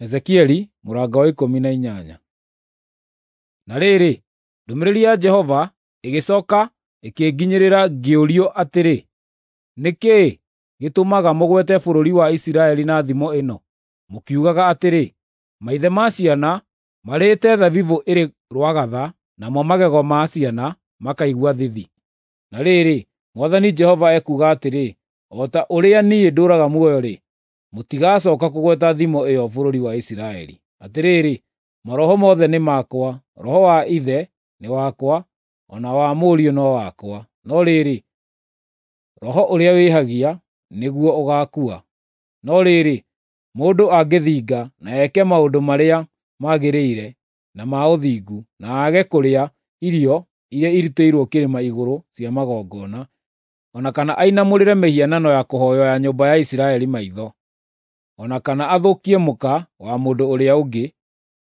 Ezekieli mũrango wa 18. Na rĩrĩ, ndũmĩrĩri ya Jehova ĩgĩcooka ĩkĩnginyĩrĩra ngĩũrio atĩrĩ, “Nĩ kĩĩ gĩtũmaga mũgwete bũrũri wa Isiraeli na thimo ĩno, mũkiugaga atĩrĩ, ‘Maithe ma ciana marĩĩte thabibũ ĩrĩ rwagatha, namo magego ma ciana makaigua thithi?’ Na rĩrĩ, Mwathani Jehova ekuuga atĩrĩ, o ta ũrĩa niĩ ndũũraga muoyo-rĩ, mũtigacooka kũgweta thimo ĩyo bũrũri wa Isiraeli. Atĩrĩrĩ, maroho mothe nĩ makwa, roho wa ithe nĩ wakwa, o na wa mũriũ no wakwa. No rĩrĩ, roho ũrĩa wĩhagia nĩguo ũgaakua. No rĩrĩ, mũndũ angĩthinga na eke maũndũ marĩa magĩrĩire na ma ũthingu, na aage kũrĩa irio iria irutĩirwo kĩrĩma igũrũ cia magongona, o na kana ainamũrĩre mĩhianano ya kũhooywo ya nyũmba ya Isiraeli maitho, o na kana athũkie mũka wa mũndũ ũrĩa ũngĩ,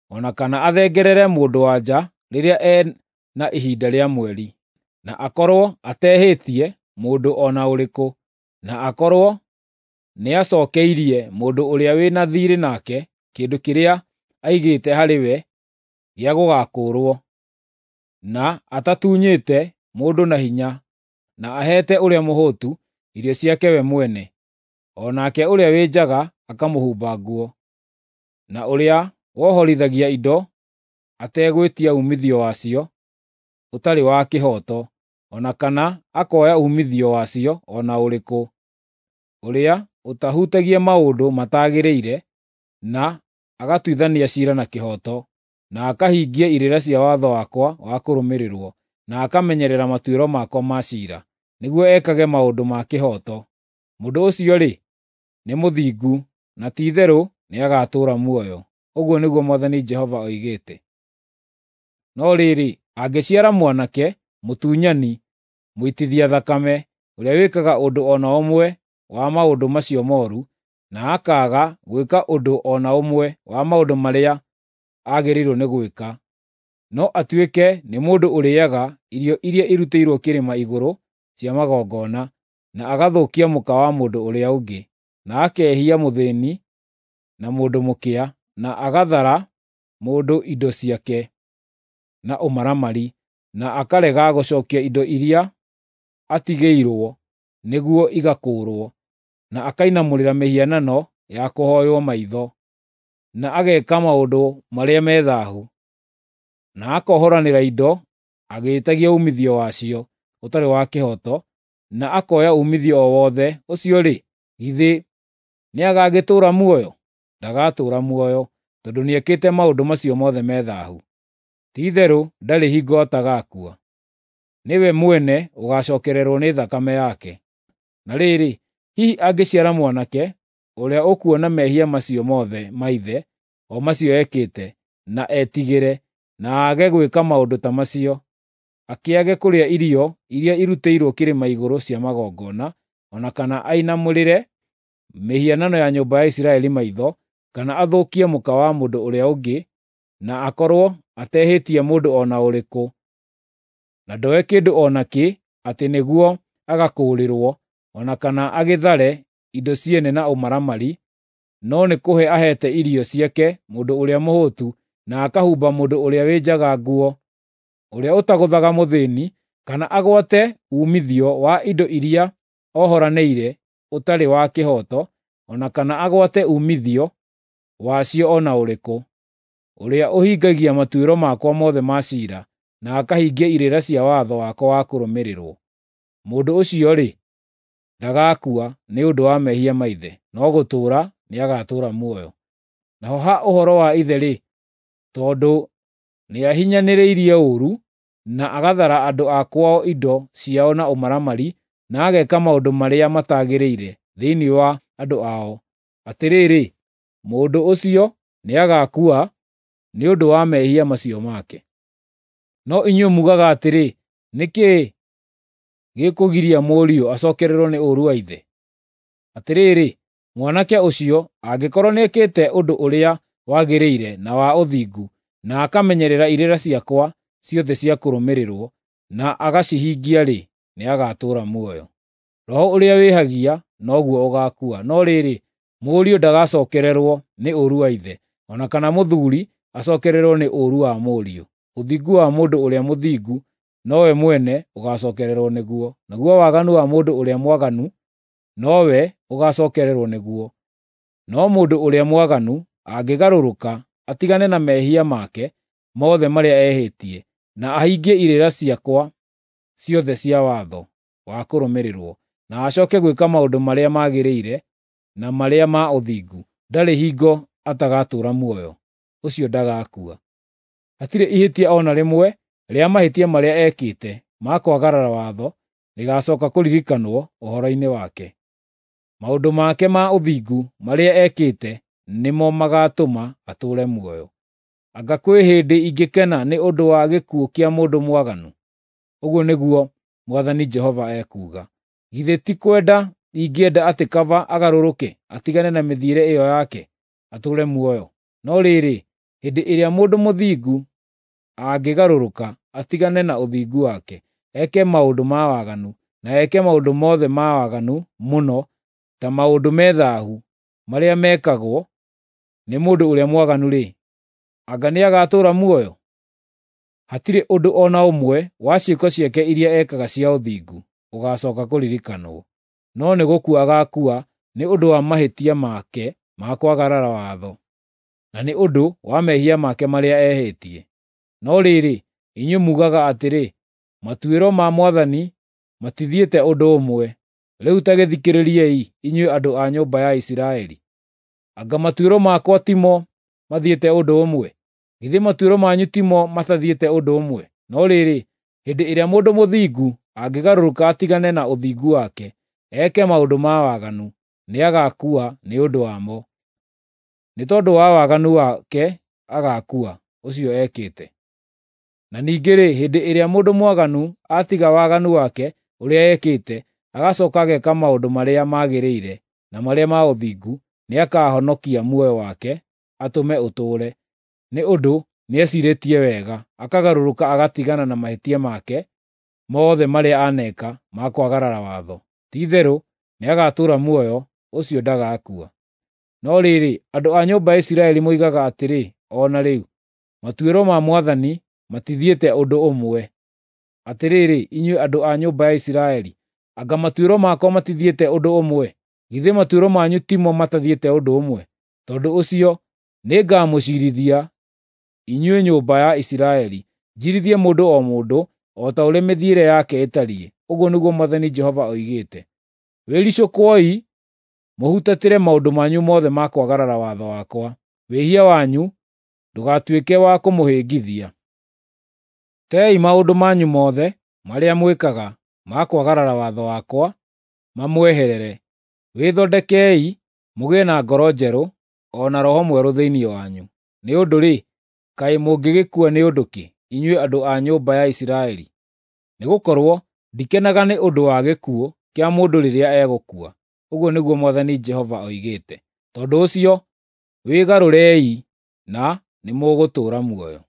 o na kana athengerere mũndũ-wa-nja rĩrĩa e na ihinda rĩa mweri, na akorwo atehĩtie mũndũ o na ũrĩkũ, na akorwo nĩacookeirie mũndũ ũrĩa wĩ na thiirĩ nake kĩndũ kĩrĩa aigĩte harĩ we gĩa gũgakũũrwo, na atatunyĩte mũndũ na hinya, na aheete ũrĩa mũhũtu irio ciake we mwene, o nake ũrĩa wĩ njaga akamũhumba nguo, na ũrĩa wohorithagia indo ategwĩtia uumithio wacio ũtarĩ wa kĩhooto, o na kana akoya uumithio wacio o na ũrĩkũ, ũrĩa ũtahutagia maũndũ mataagĩrĩire, na agatuithania ciira na kĩhooto, na akahingia irĩra cia watho wakwa wa kũrũmĩrĩrwo, na akamenyerera matuĩro makwa ma ciira, nĩguo ekage maũndũ ma kĩhooto. Mũndũ ũcio-rĩ, nĩ mũthingu, na ti-itherũ nĩagatũũra muoyo, ũguo nĩguo Mwathani Jehova oigĩte. No rĩrĩ, angĩciara mwanake mũtunyani, mũitithia thakame, ũrĩa wĩkaga ũndũ o na ũmwe wa maũndũ macio mooru, na akaaga gwĩka ũndũ o na ũmwe wa maũndũ marĩa agĩrĩirwo nĩ gwĩka, no atuĩke nĩ mũndũ ũrĩĩaga irio iria irutĩirwo kĩrĩma igũrũ cia magongona, na agathũkia mũka wa mũndũ ũrĩa ũngĩ, na akehia mũthĩĩni na mũndũ mũkĩa, na agathara mũndũ indo ciake na ũmaramari, na akarega gũcookia indo iria atigĩirwo nĩguo igakũũrwo, na akainamũrĩra mĩhianano ya kũhooywo maitho, na ageeka maũndũ marĩa me thaahu, na akohoranĩra indo agĩĩtagia uumithio wacio ũtarĩ wa kĩhooto, na akoya uumithio o wothe, ũcio-rĩ, githĩ nĩagagĩtũũra muoyo? Ndagatũũra muoyo, tondũ nĩekĩte maũndũ macio mothe me thaahu. Ti-itherũ ndarĩ hingo atagaakua. Nĩwe mwene ũgaacookererwo nĩ thakame yake. Na rĩrĩ, hihi angĩciara mwanake ũrĩa ũkuona mehia macio mothe ma ithe, o macio ekĩte, na etigĩre, na aage gwĩka maũndũ ta macio, akĩage kũrĩa irio iria irutĩirwo kĩrĩma igũrũ cia magongona, o na kana ainamũrĩre mĩhianano ya nyũmba ya Isiraeli maitho, kana athũkie mũka wa mũndũ ũrĩa ũngĩ, na akorwo atehĩtie mũndũ o na ũrĩkũ, na ndoe kĩndũ o nakĩ atĩ nĩguo agakũũrĩrwo, o na kana agĩthare indo ciene na ũmaramari, no nĩ kũhe aheete irio ciake mũndũ ũrĩa mũhũtu, na akahumba mũndũ ũrĩa wĩ njaga nguo, ũrĩa ũtagũthaga mũthĩĩni, kana agwate uumithio wa indo iria ohoranĩire ũtarĩ wa kĩhooto, o na kana agwate uumithio wacio o na ũrĩkũ, ũrĩa ũhingagia matuĩro makwa mothe ma ciira, na akahingia irĩra cia watho wakwa wa kũrũmĩrĩrwo. Mũndũ ũcio-rĩ, ndagaakua nĩ ũndũ wa mehia ma ithe, no gũtũũra nĩagatũũra muoyo. Naho ha ũhoro wa ithe-rĩ, tondũ nĩahinyanĩrĩirie ũũru, na agathara andũ a kwao indo ciao na ũmaramari, na ageka maũndũ marĩa mataagĩrĩire thĩinĩ wa andũ ao, atĩrĩrĩ, mũndũ ũcio nĩagaakua nĩ ũndũ wa mehia macio make. No inyuĩ muugaga atĩrĩ, ‘Nĩ kĩĩ gĩkũgiria mũriũ acookererwo nĩ ũũru wa ithe?’ Atĩrĩrĩ, mwanake ũcio angĩkorwo nĩekĩte ũndũ ũrĩa wagĩrĩire na wa ũthingu, na akamenyerera irĩra ciakwa ciothe cia kũrũmĩrĩrwo, na agacihingia-rĩ, nĩagatũũra muoyo. Roho ũrĩa wĩhagia noguo ũgaakua. No rĩrĩ, mũriũ ndagacookererwo nĩ ũũru wa ithe, o na kana mũthuuri acookererwo nĩ ũũru wa mũriũ. Ũthingu wa mũndũ ũrĩa mũthingu nowe mwene ũgaacookererwo nĩguo, naguo waganu wa mũndũ ũrĩa mwaganu nowe ũgaacookererwo nĩguo. No mũndũ ũrĩa mwaganu angĩgarũrũka atigane na mehia make mothe marĩa ehĩtie, na ahingie irĩra ciakwa ciothe cia watho wa kũrũmĩrĩrwo, na acooke gwĩka maũndũ marĩa magĩrĩire na marĩa ma ũthingu, ndarĩ hingo atagatũũra muoyo; ũcio ndagaakua. Hatirĩ ihĩtia o na rĩmwe rĩa mahĩtia marĩa ekĩte ma kwagarara watho rĩgaacooka kũririkanwo ũhoro-inĩ wake. Maũndũ make ma ũthingu marĩa ekĩte nĩmo magaatũma atũũre muoyo. Anga kwĩ hĩndĩ ingĩkena nĩ ũndũ wa gĩkuũ kĩa mũndũ mwaganu? Ũguo nĩguo Mwathani Jehova ekuuga. Githĩ ti kwenda ingĩenda atĩ kaba agarũrũke atigane na mĩthiĩre ĩyo yake, atũũre muoyo? No rĩrĩ, hĩndĩ ĩrĩa mũndũ mũthingu angĩgarũrũka atigane na ũthingu wake, eke maũndũ ma waganu, na eke maũndũ mothe ma waganu mũno ta maũndũ me thaahu marĩa mekagwo nĩ mũndũ ũrĩa mwaganu-rĩ, anga nĩagatũũra muoyo? Hatirĩ ũndũ o na ũmwe wa ciĩko ciake iria ekaga cia ũthingu ũgaacooka kũririkanwo, no nĩ gũkua agaakua nĩ ũndũ wa mahĩtia make ma kwagarara watho, na nĩ ũndũ wa mehia make marĩa ehĩtie. No rĩrĩ, inyuĩ muugaga atĩrĩ, ‘Matuĩro ma Mwathani matithiĩte ũndũ ũmwe.’ Rĩu ta gĩthikĩrĩriei, inyuĩ andũ a nyũmba ya Isiraeli. Anga matuĩro makwa timo mathiĩte ũndũ ũmwe? Githĩ matuĩro manyu timo matathiĩte ũndũ ũmwe? No rĩrĩ, hĩndĩ ĩrĩa mũndũ mũthingu angĩgarũrũka atigane na ũthingu wake, eke maũndũ ma waganu, nĩagaakua nĩ ũndũ wamo. Nĩ tondũ wa waganu wake agaakua, ũcio ekĩte. Na ningĩ-rĩ, hĩndĩ ĩrĩa mũndũ mwaganu atiga waganu wake ũrĩa ekĩte, agacooka ageka maũndũ marĩa magĩrĩire na marĩa ma ũthingu, nĩakahonokia muoyo wake atũme ũtũũre, nĩ ũndũ nĩeciirĩtie wega, akagarũrũka agatigana na mahĩtia make mothe marĩa aneeka ma kwagarara watho. Ti-itherũ nĩagatũũra muoyo, ũcio ndagaakua. No rĩrĩ, andũ a nyũmba ya Isiraeli moigaga atĩrĩ o na rĩu, ‘Matuĩro ma Mwathani matithiĩte ũndũ ũmwe.’ Atĩrĩrĩ, inyuĩ andũ a nyũmba ya Isiraeli, anga matuĩro makwa matithiĩte ũndũ ũmwe? Githĩ matuĩro manyu timo matathiĩte ũndũ ũmwe? Tondũ ũcio nĩngamũciirithia inyuĩ nyũmba ya Isiraeli, njiirithie mũndũ o mũndũ o ta ũrĩa mĩthiĩre yake ĩtariĩ, ũguo nĩguo Mwathani Jehova oigĩte. Wĩricũkwoi mũhutatĩre maũndũ manyu mothe ma kwagarara watho wakwa; wĩhia wanyu ndũgatuĩke wa kũmũhĩngithia. Teei maũndũ manyu mothe marĩa mwĩkaga ma kwagarara watho wakwa mamweherere. Wĩthondekei mũgĩe na ngoro njerũ o na roho mwerũ thĩinĩ wanyu. Nĩ ũndũ-rĩ, kaĩ mũngĩgĩkua nĩ ũndũ kĩ, inyuĩ andũ a nyũmba ya Isiraeli? Nĩgũkorwo ndikenaga nĩ ũndũ wa gĩkuũ kĩa mũndũ rĩrĩa egũkua, ũguo nĩguo Mwathani Jehova oigĩte. Tondũ ũcio, wĩgarũrei na nĩmũgũtũũra muoyo.